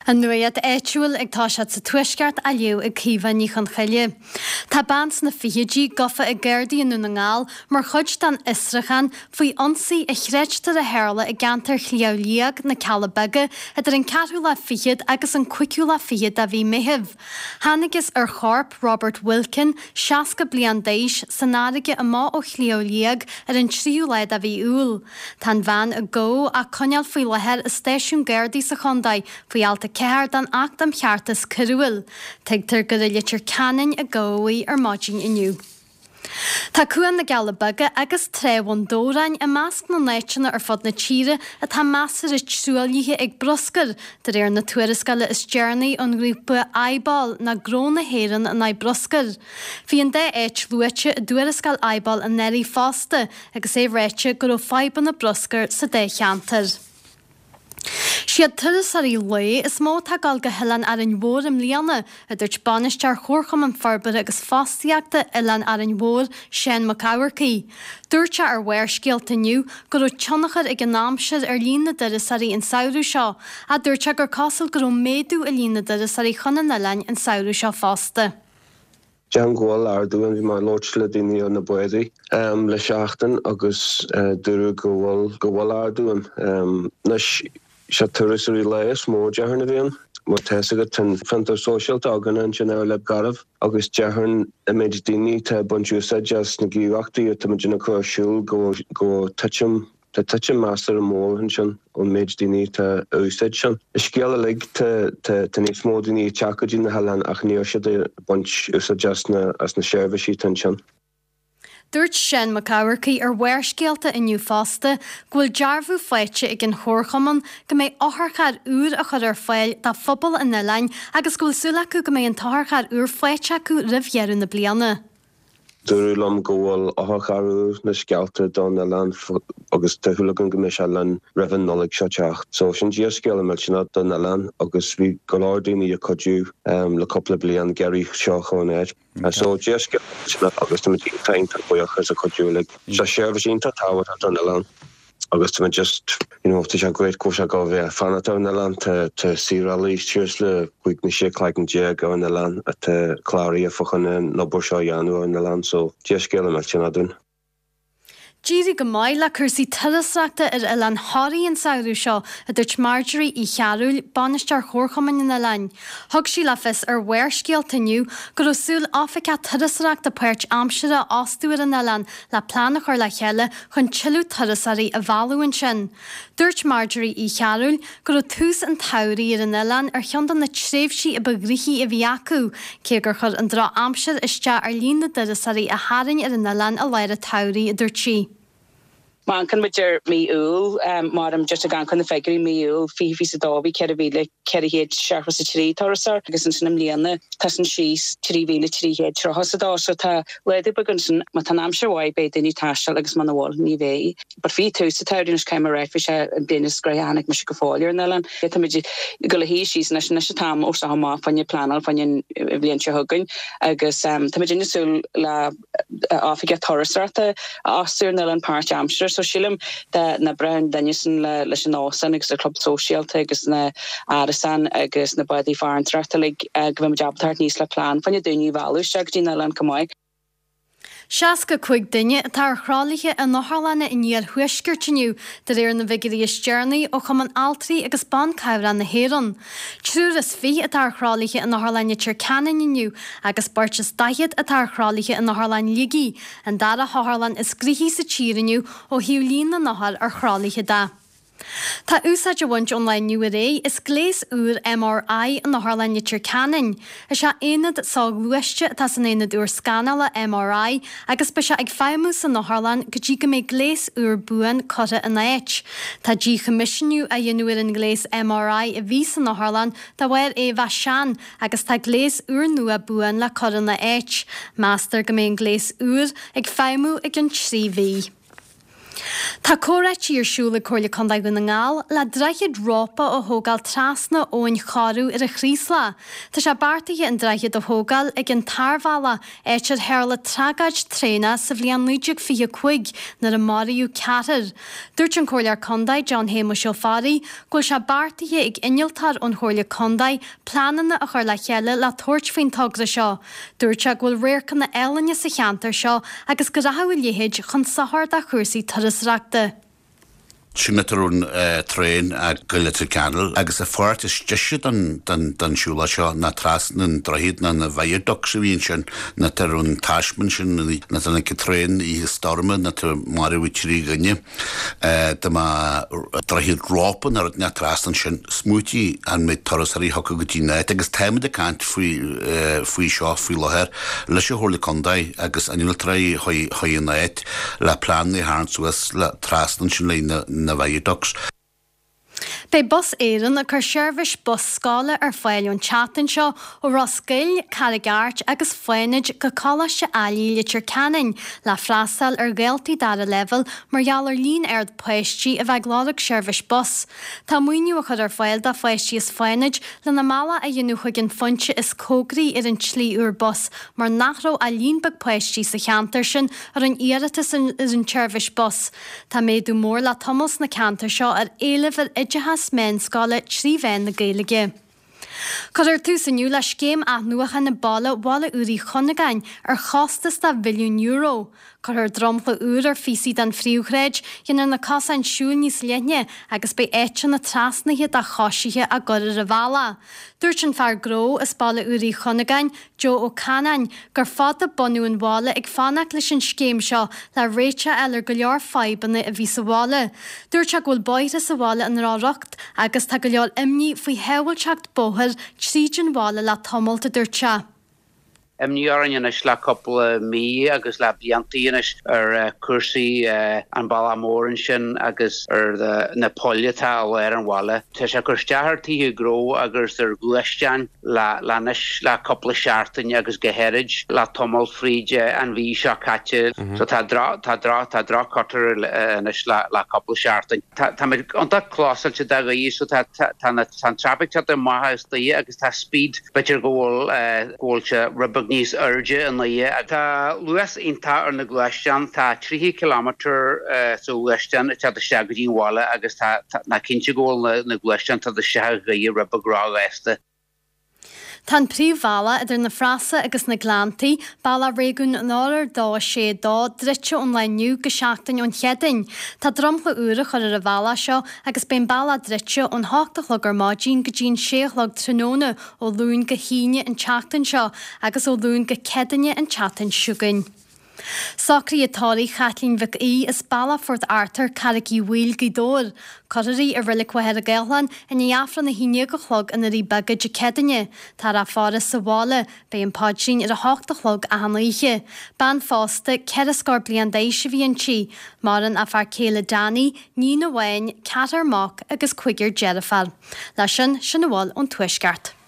An nuacht áitiúil ag toiseacht sa Tuaisceart á léamh ag Caoimhe Ní Chonchoille. Tá bean sna fichidí gafa ag Gardaí i nDún na nGall mar chuid den fhiosrúchán faoi ionsaí a chreidtear a tharla i gceantar Shliabh Liag, na Cealla Beaga, idir an ceathrú lá fichead agus an cúigiú lá fichead de mhí Meithimh. Thángthas ar chorp Robert Wilkin, 60 bliain d'aois, san fharraige amach ó Shliabh Liag ar an tríú lá de mhí Iúil. Tá an bhean a gabhadh á coinneáil faoi láthair i stáisiún Gardaí sa chontae faoi alt 4 den Acht um Cheartas Coiriúil. Tuigtear gur i Leitir Ceanainn a gabhadh í ar maidin inniu. Tá Cuan na gCealla Beaga agus Trá Bhun Dobhráin i measc na n-áiteanna ar fud na tíre atá measartha truaillithe ag bruscar, de réir na tuarascála is deireanaí ón ngrúpa iBOL nó Gnó na hÉireann in aghaidh Bruscair. Bhí an dá áit luaite i dtuarascáil iBOL anuraidh fosta agus é ráite go raibh fadhbanna bruscair sa dá cheantar. Siad turasóirí lae is mó atá ag dul go hOileán Árainn Mhór i mbliana, a dúirt Bainisteoir Chomharchumann Forbartha agus Fostaíochta Oileán Árainn Mhór, Seán Mac Eamharcaigh. Dúirt sé ar Bharrscéalta inniu go raibh tionchar ag an aimsir ar líon na dturasóirí an samhradh seo, ach dúirt sé gur cosúil go raibh méadú i líon na dturasóirí chun an oileáin an samhradh seo fosta. Déarfainn go bhfuil ardú ann. Bhí mé ag labhairt le daoine ar na bádaí le seachtain agus dúradh go bhfuil go bhfuil ardú ann. Anois, sé turasóirí lae is mó déarfainn a bhíonn. Mar tá fhios agat tá an fiontar sóisialta againn ansin ar Leib Garbh agus déarfainn an méid daoine atá ag baint úsáid as na gníomhaíochtaí atá muid ag cur ar siúl go bhfuil titim Tá titim measartha mór ansin ón méid daoine atá ag úsáid sin. An scéal uilig, tá níos mó daoine ag teacht go dtí na hoileáin ach níl siad ag baint úsáid as na as na seirbhísí atá ansin. Dúirt Seán Mac Eamharcaigh ar Bharrscéalta inniu fosta go bhfuil dearbhú faighte ag an Chomharchumann go mbeidh otharcharr úr á chur ar fáil do phobal an oileáin agus go bhfuil súil acu go mbeidh an t-otharcharr úr faighte acu roimh dheireadh na bliana. Dúradh liom go bhfuil otharcharr úr na scéalta don oileán agus tá súil againn go mbeidh sé linn roimh an Nollaig seo teacht. So sin dea-scéala millteanach don oileán agus bhí go leor daoine ag cuidiú le cúpla bliain ag iarraidh seo a chur in áit. So dea-scéala millteanach agus táimid iontach iontach buíoch as an chuidiú uilig. Seo seirbhís iontach tábhachtach don oileán. Agus tá mé just, you know, tá sé great go bhfuil sé ag gabháil a bheith ag fanacht ar an oileán, tá, tá saorálaí suas le 15 nó 16 cloigeann ar an oileán atá cláraithe fá choinne an obair seo a dhéanamh ar an oileán, so dea-scéala millteanach dúinn. D'éirigh go maith le cúrsaí turasóireachta ar Oileán Thoraí an samhradh seo, a dúirt Marjorie Uí Chearúil, Bainisteoir Chomharchumann an oileáin. Thug sí le fios ar Bharrscéalta inniu go raibh súil oifigeach turasóireachta páirt-aimseartha a fhostú ar an oileán le plean a chur le chéile chun tuilleadh turasóirí a mhealladh ansin. Dúirt Marjorie Uí Chearúil go raibh tús an tsamhraidh ar an oileán ar cheann de na tréimhsí a ba ghnoithí a bhí acu, cé gur chuir an drochaimsir isteach ar líon na dturasóirí a tharraing ar an oileán i lár an tsamhraidh, a dúirt sí. Má amharcann muid ar mí Iúil, mar just ag amharc ar na figiúirí, mí Iúil 2022 bhí 4,473 turasóir agus ansin i mbliana tá sin síos 3,332 so tá laghdú beag ansin. Má tá an aimsir mhaith beidh daoine ag taisteal agus muna bhfuil ní bheidh. But bhí tús an tsamhraidh anois caithfidh mé a rá bhí sé an bliain is gnoithí a chonaic mise go fóill ar an oileán. Tá muid ag dul a shuí síos anois, anois an t-am ó seo amach fá choinne pleanáil fá choinne an bhliain seo chugainn agus tá muid ag súil le oifigeach turasóireachta a fhostú ar an oileán páirt-aimseartha. So sílim dá n-oibreodh an duine sin leis an óstán agus an club sóisialta agus na árasáin agus na bádaí farantóireachta uilig go mbeidh muid ábalta teacht aníos le plean fá choinne daoine a mhealladh isteach go dtí an oileán chomh maith. 65 duine atá ar thralaithe in otharlanna an iarthuaiscirt inniu, de réir na bhfigiúirí is deireanaí ó Chumann Altraí agus Ban Cabhrach na hÉireann. 23 atá ar thralaithe in Otharlann Leitir Ceanainn inniu agus beirt is 40 atá ar thralaithe in Otharlann Shligigh, an dara hotharlann is gnoithí sa tír inniu ó thaobh líon na n-othar ar thralaithe de. Tá úsáid á bhaint ón lá inniu ar aghaidh as gléas úr MRI in Otharlann Leitir Ceanainn. Is é aonad soghluaiste atá san aonad úr scanála MRI agus beidh sé ag feidhmiú san otharlann go dtí go mbeidh gléas úr buan curtha ina áit. Tá díchoimisiúnú á dhéanamh ar an ngléas MRI a bhí san otharlann de bharr é a bheith sean agus tá gléas úrnua buan le cur ina áit. Meastar go mbeidh an gléas úr ag feidhmiú i gcionn 3 mhí. Tá comhráití ar siúl ag Comhairle Contae Dhún na nGall le droichead rópa a thógáil trasna Abhainn Choireadh ar an Chraoslach. Tá sé beartaithe an droichead a thógáil ag an Tarbhealach, áit ar tharla tragóid traenach sa bhliain 1925 nuair a maraíodh ceathrar. Dúirt an Comhairleoir Contae John Shéamuis Ó Fearraigh go bhfuil sé beartaithe ag innealtóir ón Chomhairle Contae pleananna a chur le chéile le tabhairt faoin togra seo. Dúirt sé go bhfuil radharcanna álainne sa cheantar seo agus go rachadh a leithéid chun sochair do chúrsaí turasóireachta. Sin áit a raibh an traein ag goil Leitir Ceanainn agus an pháirt is deise den siúlóid seo ná trasna an droichead ná na viaducts a bhí ansin ná áit a raibh an taisme ansin ná tháinig an traein oíche stoirme ná maraíodh 3 dhuine. Dá mbeadh droichead rópa nó rud inteacht trasna ansin, smaoitigh an méid turasóirí a thiocfadh go dtí an áit agus táimid ag caint faoi faoi seo faoi láthair leis an Chomhairle Contae agus innealtóirí chuig an áit le pleananna a tharraingt suas le trasna ansin le na na viaducts. Beidh Bus Éireann ag cur seirbhís bus scoile ar fáil ón tseachtain seo ó Ros Goill, Carraig Airt agus Fánaid go Coláiste Ailigh Leitir Ceanainn le freastal ar dhaltaí dara leibhéal mar gheall ar líon ard páistí a bheith ag lorg seirbhís bus. Tá maoiniú á chur ar fáil do pháistí as Fánaid lena mbealach a dhéanamh chuig an phointe is cóngaraí ar an tslí úr bus mar nach raibh ach líon beag páistí sa cheantar sin a rinne iarratas ar an tseirbhís bus. Tá méadú mór le tamall sna ceantair seo ar éileamh ar oideachas meánscoile 3 mheán na Gaeilge. Cuirfear tús inniu le scéim athnuachana baile Bhaile Úr Uí Chuinneagáin ar chostas de €1,000,000. Cuirfear dromchla úr ar phíosaí den phríomhshráid, déanfar na cosáin siúil níos leithne agus beidh áiteanna trasnaithe do choisithe á gcur ar an bhealach. Dúirt an fear gnó as Baile Úr Uí Chuinneagáin, Joe Ó Canáin, gur fada bunadh an bhaile ag fanacht leis an scéim seo le réiteach a fháil ar go leor fadhbanna a bhí sa bhaile. Dúirt sé go bhfuil bóithre sa bhaile i ndroch-riocht agus tá go leor imní faoi shábháilteacht bóthair tríd an bhaile le tamalt, a dúirt sé. Imní orainn anois le cúpla mí agus le bliantaí anois ar chúrsaí an bealach mór ansin agus ar na poill atá i lár an bhaile. Tá sé ag cur isteach ar tithe gnó agus ar ghluaisteáin. le le anois le cúpla seachtain agus go háirid le tamall fríd an mhí seo caite. So tá droch tá droch tá droch-chultúr anois le le cúpla seachtain. Tá táimid iontach clósáilte do ghaoth so tá tá tá na tá an traffic teacht amach as Doire agus tá speed b'fhéidir go bhfuil go bhfuil sé rud beag níos airde i nDoire. Tá luas iontach ar na gluaisteáin, tá 30 kilometre sa ghluaisteán ag teacht isteach go dtí an bhaile agus tá tá ná cinnte go bhfuil na na gluaisteáin ag teacht isteach as Doire rud beag róghasta. Tá an príomhbhealach idir na Frasa agus na Gleanntaí, bealach Réigiún an Oirthir 2 6 2, druidte ón lá inniu go seachtain ón Chéadaoin. Tá dromchla úr á chur ar an bhealach seo agus beidh an bealach druidte ón hocht a chlog ar maidin go dtí an sé a chlog tráthnóna ó Luan go hAoine an tseachtain seo agus ó Luan go Céadaoine an tseachtain seo chugainn. Socruithe tórraimh Chaitlín Mhic Aoidh as Bealach Phort Arthur, Carraig Uí Bhaoill, Gaoth Dobhair. Cuirfear í i Reilig Mhachaire Gathlán i ndiaidh Aifreann 11 a chlog i nDoirí Beaga Dé Céadaoine. Táthar á faire sa bhaile. Beidh an paidrín ar a hocht a chlog achan oíche. Bean phósta, ceithre scór bliain d'aois a bhí inti. Maireann a fear céile Danny, níon amháin, ceathrar mac agus cúigear deirféar. Leis sin, sin a bhfuil ón Tuaisceart.